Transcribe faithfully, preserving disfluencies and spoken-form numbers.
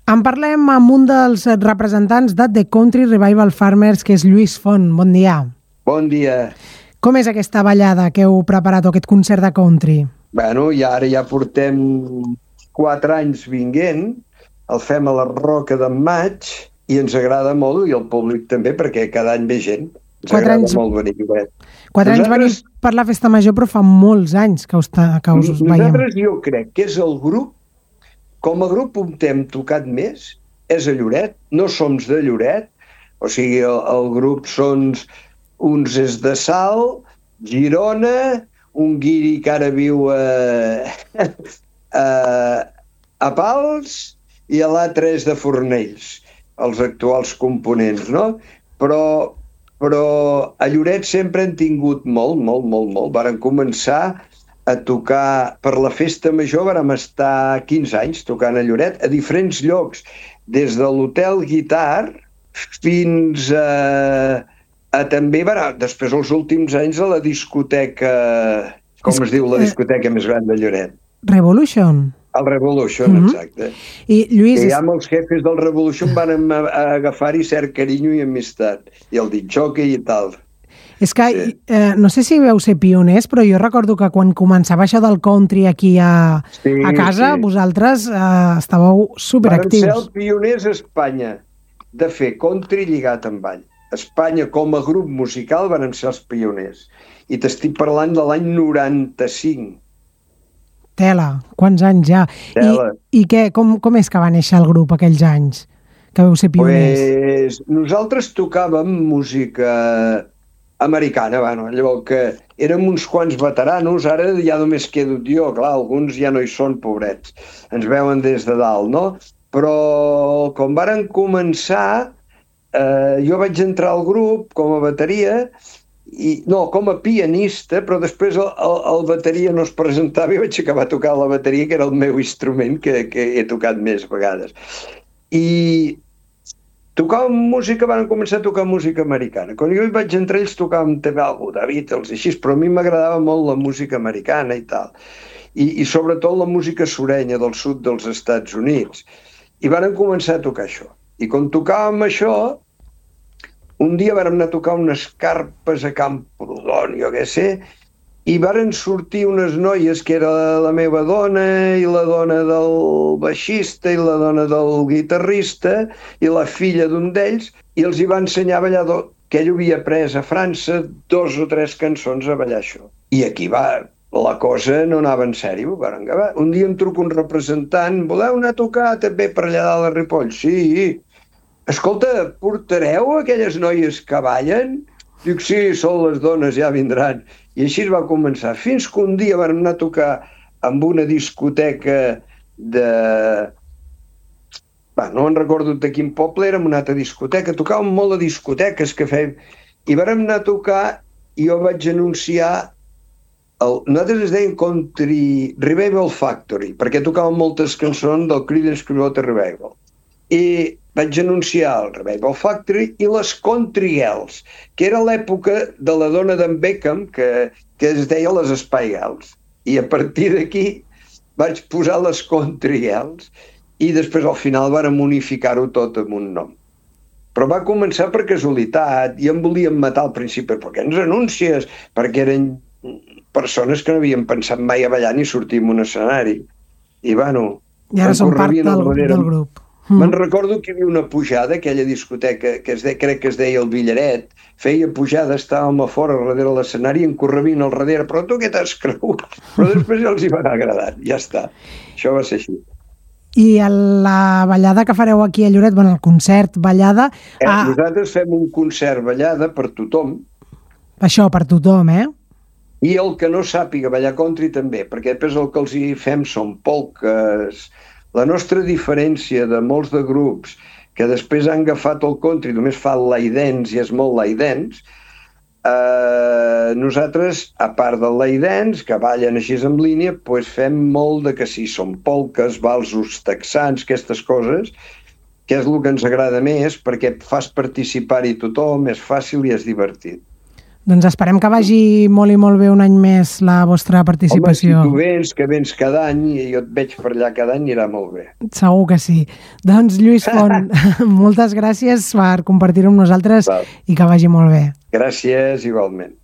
En parlem amb un dels representants de The Country Revival Farmers, que és Lluís Font. Bon dia. Bon dia. Com és aquesta ballada que heu preparat, o aquest concert de country? Bueno, i ara ja portem quatre anys vinguent, el fem a la Roca d'en Maig, i ens agrada molt, i el públic també, perquè cada any ve gent. Ens Quatre agrada anys... molt venir. Quatre anys Nosaltres... venim per la Festa Major, però fa molts anys que us, que us veiem. Nosaltres jo crec que és el grup, com a grup on hem tocat més, és a Lloret, no som de Lloret, o sigui, el, el grup són uns és de Salt, Girona, un guiri que ara viu a, a, a Pals, i l'altre és de Fornells, els actuals components, no? Però, però a Lloret sempre han tingut molt, molt, molt, molt. Varen començar a tocar per la Festa Major, vàrem estar quinze anys tocant a Lloret, a diferents llocs, des de l'Hotel Guitar fins a, a també, bueno, després els últims anys a la discoteca, com es, es diu la discoteca més gran de Lloret? Revolution. El Revolution, uh-huh. Exacte. I, Lluís... I amb els jefes del Revolution van agafar-hi cert carinyo i amistat, i el ditxoque i tal. És que, sí. eh, no sé si veu ser pioners, però jo recordo que quan començava això del country aquí a, sí, a casa, sí. Vosaltres eh, estàveu superactius. Van ser els pioners a Espanya de fer country lligat amb ball. Espanya, com a grup musical, van ser els pioners. I t'estic parlant de l'any noranta-cinc. Tela, quants anys ja. Tela. I, i què, com, com és que va néixer el grup aquells anys, que vau ser pioners? Pues, nosaltres tocàvem música americana, bueno, llavors que érem uns quants veteranos, ara ja només quedo jo, clar, alguns ja no hi són, pobrets, ens veuen des de dalt, no? Però com varen començar, eh, jo vaig entrar al grup com a bateria, i, no, com a pianista, però després el, el, el bateria no es presentava i vaig acabar a tocar la bateria, que era el meu instrument que, que he tocat més vegades. I tocàvem música, van començar a tocar música americana. Quan jo hi vaig entrar, ells tocàvem també alguna de Beatles i així, però a mi m'agradava molt la música americana i tal. I, i sobretot la música surenya del sud dels Estats Units. I van començar a tocar això. I quan tocàvem això, un dia vam anar a tocar unes carpes a Camprodon, jo què sé, i varen sortir unes noies que era la meva dona i la dona del baixista i la dona del guitarrista i la filla d'un d'ells, i els hi va ensenyar a ballar que ell havia après a França dos o tres cançons a ballar això. I aquí va, la cosa no anava en sèrio. Un dia em truca un representant, voleu anar a tocar també per allà dalt a Ripoll? Sí. Escolta, portareu aquelles noies que ballen? Dic, sí, són les dones, ja vindran. I així es va començar. Fins que un dia vam anar a tocar amb una discoteca de... Va, no en recordo de quin poble, érem una altra discoteca. Tocàvem molt a discoteques que fèiem. I vam anar a tocar i jo vaig anunciar... El... Nosaltres es deien Country Revival Factory, perquè tocàvem moltes cançons del Creedence Clearwater Revival. I vaig anunciar el Revival Factory i les Country Girls, que era l'època de la dona d'en Beckham, que, que es deia les Spy Girls. I a partir d'aquí vaig posar les Country Girls i després al final vàrem unificar-ho tot amb un nom. Però va començar per casualitat i em volien matar al principi. Per què ens anuncies? Perquè eren persones que no havien pensat mai a ballar ni sortir en un escenari. I bueno... I ara són part del, del grup. Mm. Me'n recordo que hi havia una pujada, aquella discoteca que es de, crec que es deia el Villaret, feia pujada, estàvem a fora darrere l'escenari i en correvint al darrere, però tu què t'has cregut? Però després ja els hi va anar agradant, ja està. Això va ser així. I la ballada que fareu aquí a Lloret, bueno, el concert ballada... Eh, ah... Nosaltres fem un concert ballada per tothom. Això, per tothom, eh? I el que no sàpiga ballar country també, perquè després el que els hi fem són polques... La nostra diferència de molts de grups que després han agafat el country, només fa el lay dance i és molt lay dance, eh, nosaltres, a part del lay dance, que ballen així en línia, doncs fem molt de que sí, són polques, valsos texans, aquestes coses, que és el que ens agrada més, perquè fas participar-hi tothom, és fàcil i és divertit. Doncs esperem que vagi molt i molt bé un any més la vostra participació. Home, si tu vens, que vens cada any i jo et veig per allà cada any, anirà molt bé. Segur que sí. Doncs Lluís Font, moltes gràcies per compartir-ho amb nosaltres. Val. I que vagi molt bé. Gràcies, igualment.